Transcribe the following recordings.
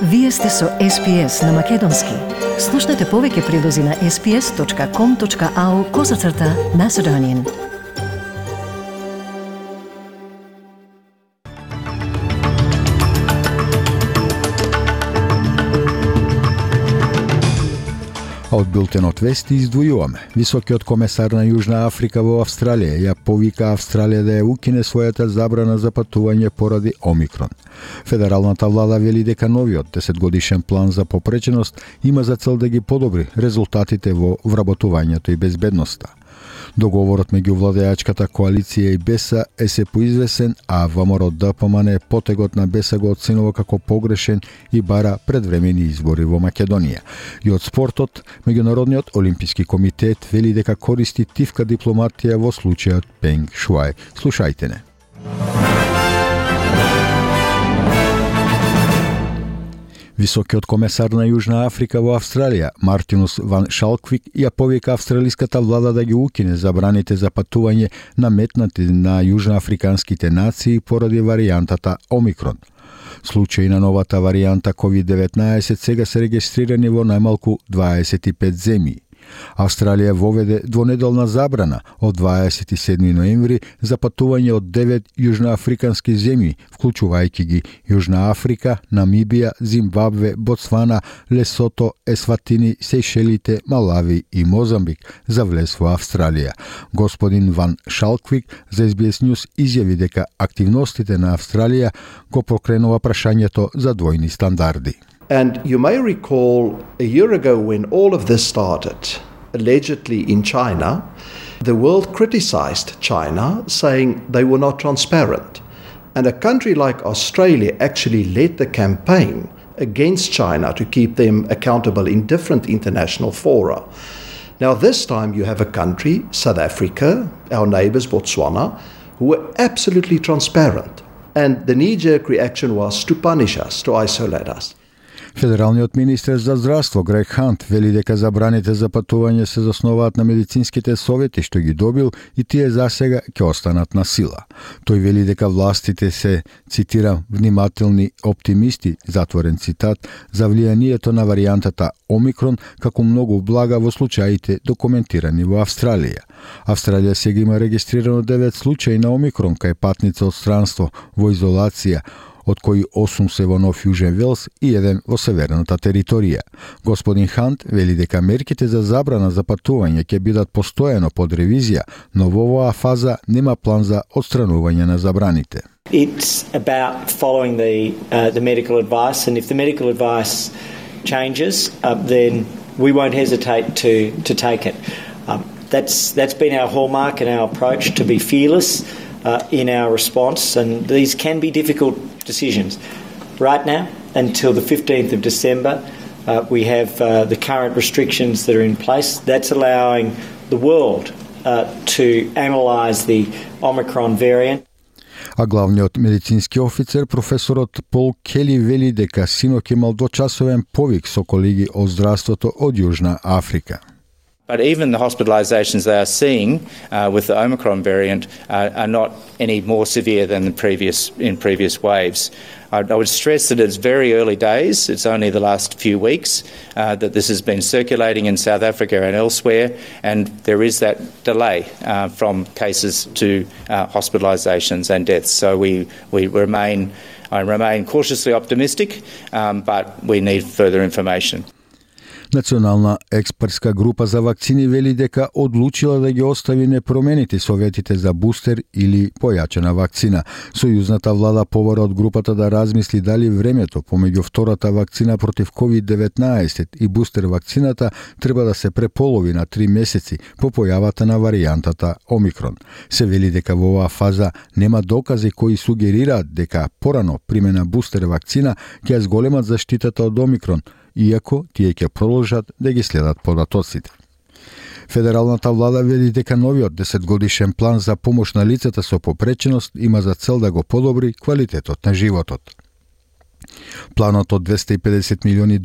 Вие сте со SPS на Македонски. Слушнете повеќе прилози на sps.com.au/Macedonian. Од билтенот вести издвојуваме. Високиот комесар на Јужна Африка во Австралија ја повика Австралија да ја укине својата забрана за патување поради Омикрон. Федералната влада вели дека новиот 10-годишен план за попреченост има за цел да ги подобри резултатите во вработувањето и безбедноста. Договорот меѓу владеачката коалиција и БЕСА е се поизвесен, а ВМРО-ДПМН потегот на БЕСА го оценува како погрешен и бара предвремени избори во Македонија. И од спортот, Меѓународниот олимписки комитет вели дека користи тивка дипломатија во случајот Пенг Шуај. Слушајте не. Високиот комесар на Јужна Африка во Австралија, Мартинус ван Шалквик, ја повика австралиската влада да ги укине забраните за патување наметнати на јужноафриканските нации поради варијантата Омикрон. Случаи на новата варијанта COVID-19 сега се регистрирани во најмалку 25 земји. Австралија воведе двонеделна забрана од 27 ноември за патување од 9 јужноафрикански земји, вклучувајќи ги Јужна Африка, Намибија, Зимбабве, Ботсвана, Лесото, Есватини, Сејшелите, Малави и Мозамбик за влез во Австралија. Господин Ван Шалквик за SBS News изјави дека активностите на Австралија го покренува прашањето за двојни стандарди. And you may recall a year ago when all of this started, allegedly in China, the world criticized China, saying they were not transparent. And a country like Australia actually led the campaign against China to keep them accountable in different international fora. Now this time you have a country, South Africa, our neighbors Botswana, who were absolutely transparent. And the knee-jerk reaction was to punish us, to isolate us. Федералниот министер за здравство Грег Хант вели дека забраните за патување се заснуваат на медицинските совети што ги добил и тие засега ќе останат на сила. Тој вели дека властите се, цитирам, внимателни оптимисти, затворен цитат, за влијанието на варијантата Омикрон како многу блага во случаите документирани во Австралија. Австралија сега има регистрирано 9 случаи на Омикрон кај патница од странство во изолација, од кои 8 се во Нов Јужен Велс и 1 во северната територија. Господин Хант вели дека мерките за забрана за патување ќе бидат постојано под ревизија, но во оваа фаза нема план за отстранување на забраните. It's about following the medical advice, and if the medical advice changes, then we won't hesitate to take it. That's been our hallmark and our approach, to be fearless in our response, and these can be difficult decisions. Right now, until the 15th of December, we have the current restrictions that are in place. That's allowing the world to analyse the Omicron variant. А главниот медицински офицер, професорот Пол Кели, вели дека синоќ имал двочасовен повик со колеги од здравството од Јужна Африка. But even the hospitalisations they are seeing with the Omicron variant are not any more severe than in previous waves. I would stress that it's very early days. It's only the last few weeks that this has been circulating in South Africa and elsewhere, and there is that delay from cases to hospitalisations and deaths. So I remain cautiously optimistic, but we need further information. Национална експертска група за вакцини вели дека одлучила да ги остави непроменети советите за бустер или појачена вакцина. Сојузната влада повара од групата да размисли дали времето помеѓу втората вакцина против COVID-19 и бустер вакцината треба да се преполови на 3 месеци по појавата на варијантата Омикрон. Се вели дека во оваа фаза нема докази кои сугерираат дека порано примена бустер вакцина ќе зголемат заштитата од Омикрон, иако тие ќе продолжат да ги следат податоците. Федералната влада вели дека новиот 10-годишен план за помош на лицата со попреченост има за цел да го подобри квалитетот на животот. Планот од $250 милиони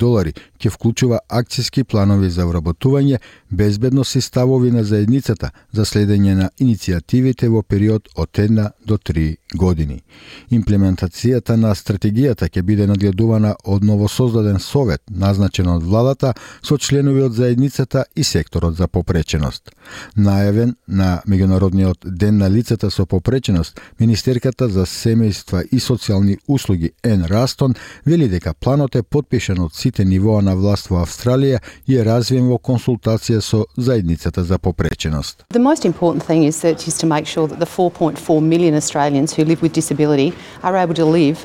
ќе вклучува акцијски планови за вработување, безбедност и ставови на заедницата за следење на иницијативите во период од 1 до 3 години. Имплементацијата на стратегијата ќе биде надгледувана од новосоздаден совет, назначен од владата, со членови од заедницата и секторот за попреченост. Најавен на Меѓународниот ден на лицата со попреченост, Министерката за семејства и социјални услуги Ен Растон вели дека планот е потпишан од сите нивоа на власт во Австралија и е развиен во консултација со заедницата за попреченост. The most important thing is to make sure that the 4.4 million Australians who live with disability are able to live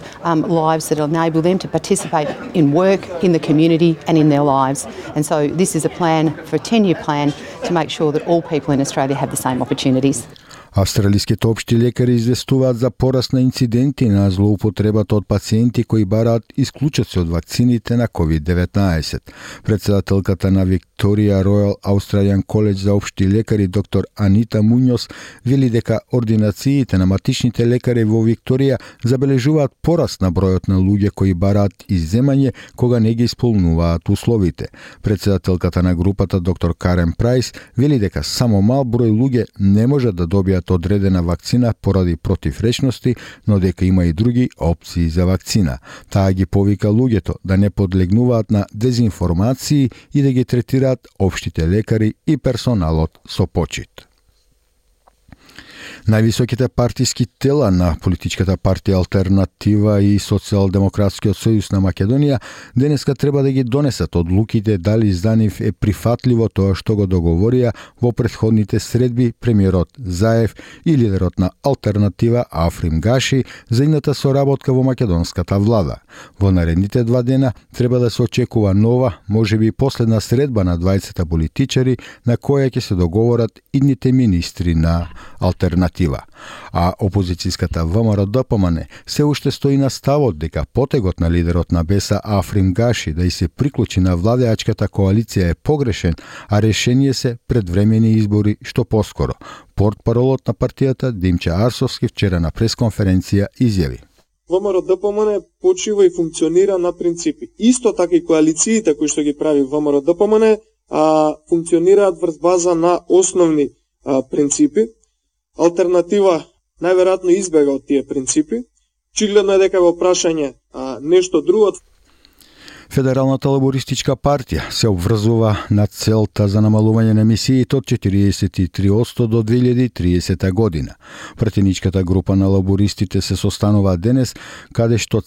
lives that enable them to participate in work, in the community and in their lives. And so this is a plan for a 10-year plan to make sure that all people in Australia have the same opportunities. Австралиските општи лекари известуваат за пораст на инциденти на злоупотребата од пациенти кои бараат исклучоци од вакцините на COVID-19. Председателката на Викторија Ројал Australian College за општи лекари доктор Анита Муњос вели дека ординациите на матичните лекари во Викторија забележуваат пораст на бројот на луѓе кои бараат изземање кога не ги исполнуваат условите. Председателката на групата доктор Карен Прайс вели дека само мал број луѓе не можат да добијат одредена вакцина поради противречности, но дека има и други опции за вакцина. Таа ги повика луѓето да не подлегнуваат на дезинформации и да ги третираат општите лекари и персоналот со почит. Највисоките партиски тела на политичката партија Алтернатива и Социјалдемократскиот сојуз на Македонија денеска треба да ги донесат одлуките дали за нив е прифатливо тоа што го договорија во претходните средби премиерот Заев и лидерот на Алтернатива Африм Гаши за идната соработка во македонската влада. Во наредните 2 дена треба да се очекува нова, можеби последна средба на двајцата политичари на која ќе се договорат идните министри на Алтернатива. А опозицијската ВМРО-ДПМН се уште стои на ставот дека потегот на лидерот на БЕСА Африм Гаши да и се приклучи на владеачката коалиција е погрешен, а решение се предвремени избори што поскоро. Портпаролот на партијата Димче Арсовски вчера на пресконференција изјави: ВМРО-ДПМН почива и функционира на принципи. Исто така и коалициите кои што ги прави ВМРО-ДПМН функционираат врз база на основни принципи. Алтернатива најверојатно избега од тие принципи. Очигледно е дека во прашање нешто друго. Федералната лабористичка партија се обврзува на целта за намалување на емисиите од 43% до 2030 година. Пратеничката група на лабористите се состанува денес, каде што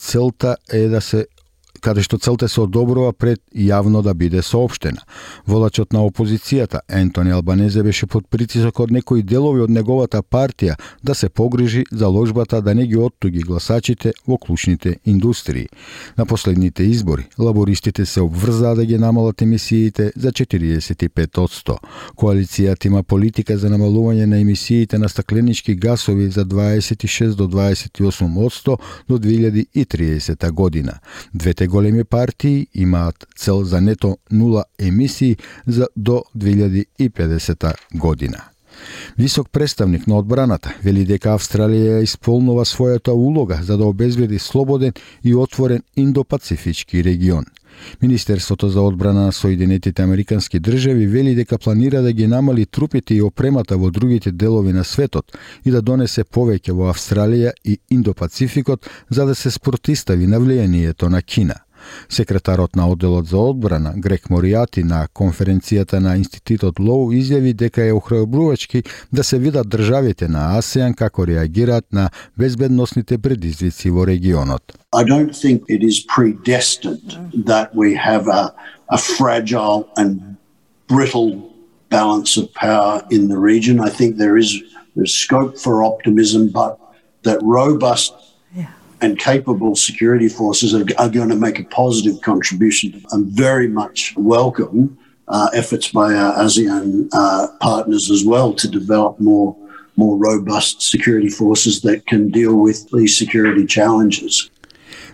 целта се одобрува пред јавно да биде соопштена. Водачот на опозицијата Ентони Албанезе беше под притисок од некои делови од неговата партија да се погрижи заложбата да не ги оттуги гласачите во клучните индустрии. На последните избори лабористите се обврзаа да ги намалат емисиите за 45%. Коалицијата има политика за намалување на емисиите на стакленички гасови за 26 до 28% до 2030 година. Двете големи партии имаат цел за нето нула емисии до 2050 година. Висок представник на одбраната вели дека Австралија исполнува својата улога за да обезбеди слободен и отворен индопацифички регион. Министерството за одбрана на Соединетите Американски држави вели дека планира да ги намали трупите и опремата во другите делови на светот и да донесе повеќе во Австралија и Индопацификот за да се спротистави на влијанието на Кина. Секретарот на одделот за одбрана Грег Моријати на конференцијата на Институтот Лоу изјави дека е охрабрувачки да се видат државите на АСЕАН како реагираат на безбедносните предизвици во регионот. I don't think it is predestined that we have a fragile and brittle balance of power in the region. I think there's scope for optimism, but that robust and capable security forces are going to make a positive contribution and very much welcome efforts by our ASEAN partners as well to develop more robust security forces that can deal with these security challenges.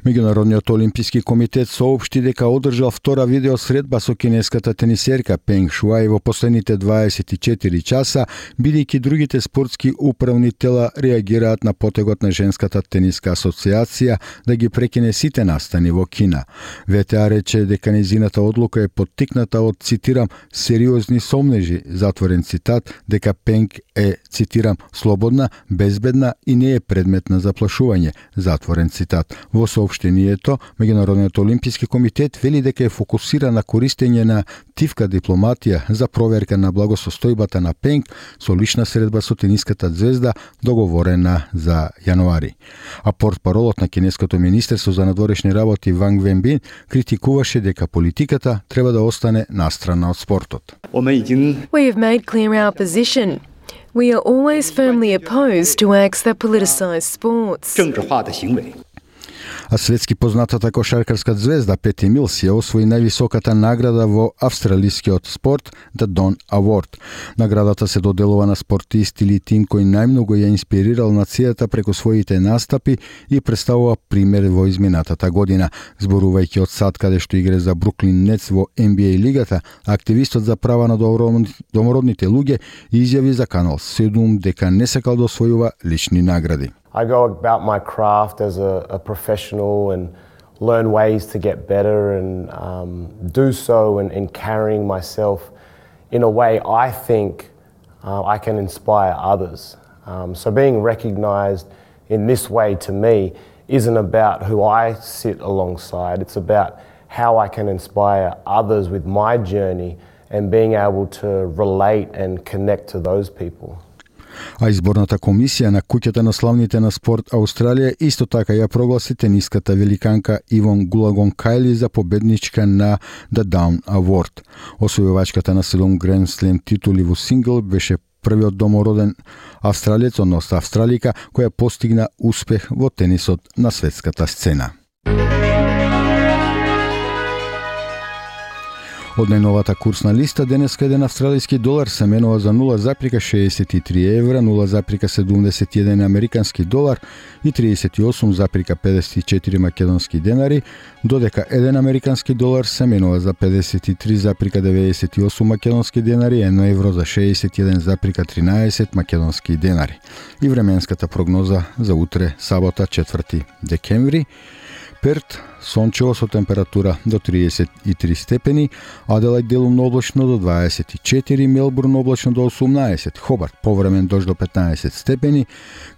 Меѓународниот олимписки комитет соопшти дека одржал втора видеосредба со кинеската тенисерка Пенг Шуај во последните 24 часа, бидејќи другите спортски управни тела реагираат на потегот на Женската тениска асоциација да ги прекине сите настани во Кина. ВТА рече дека нејзината одлука е поттикната од, цитирам, сериозни сомнежи, затворен цитат, дека Пенг е, цитирам, слободна, безбедна и не е предмет на заплашување, затворен цитат. Во соопштението, Меѓународниот олимписки комитет вели дека е фокусиран на користење на тивка дипломатија за проверка на благосостојбата на Пенг со лична средба со тениската звезда договорена за јануари. А портпаролот на кинеското министерство за надворешни работи Ванг Венбин критикуваше дека политиката треба да остане настрана од спортот. We have made clear our position. We are always firmly opposed to acts that politicize sports. А светски познатата кошаркарска звезда Пети Милс ја освои највисоката награда во австралискиот спорт, The Don Award. Наградата се доделува на спортист или тим кој најмногу ја инспирирал нацијата преку своите настапи и представува пример во изминатата година. Зборувајќи од сад каде што игра за Бруклин Нетс во NBA лигата, активистот за права на домородните луѓе изјави за Канал 7 дека не сакал да освојува лични награди. I go about my craft as a professional and learn ways to get better and do so in carrying myself in a way I think I can inspire others. So being recognised in this way to me isn't about who I sit alongside, it's about how I can inspire others with my journey and being able to relate and connect to those people. А изборната комисија на куќата на славните на спорт Аустралија исто така ја прогласи тениската великанка Ивон Гулагонкајли за победничка на The Down Award. Освојувачката на 7 Grand Slam титули во сингл беше првиот домороден австралиец, односно австралика, која постигна успех во тенисот на светската сцена. Од најновата курсна листа, денеска еден австралиски долар се менува за 0,63 евра, 0,71 американски долар и 38,54 македонски денари, додека еден американски долар се менува за 53,98 македонски денари, 1 евро за 61,13 македонски денари. И временската прогноза за утре, сабота, 4 декември. Перт, сончево со температура до 33 степени, Аделајд делумно облачно до 24, Мелбурн облачно до 18, Хобарт повремен дожд до 15 степени,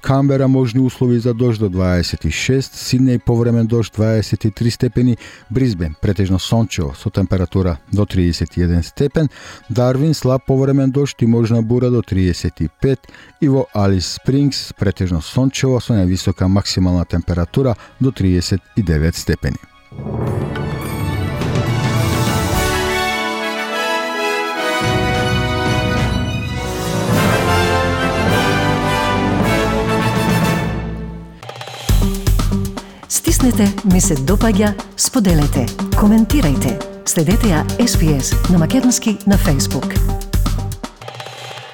Камбера можни услови за дожд до 26, Сиднеј повремен дожд 23 степени, Брисбен претежно сончево со температура до 31 степен, Дарвин слаб повремен дожд и можна бура до 35 и во Алис Спрингс претежно сончево со највисока максимална температура до 39 степени. Стиснете, ми се допаѓа, споделете, коментирајте. Следете ја SPS на Македонски на Facebook.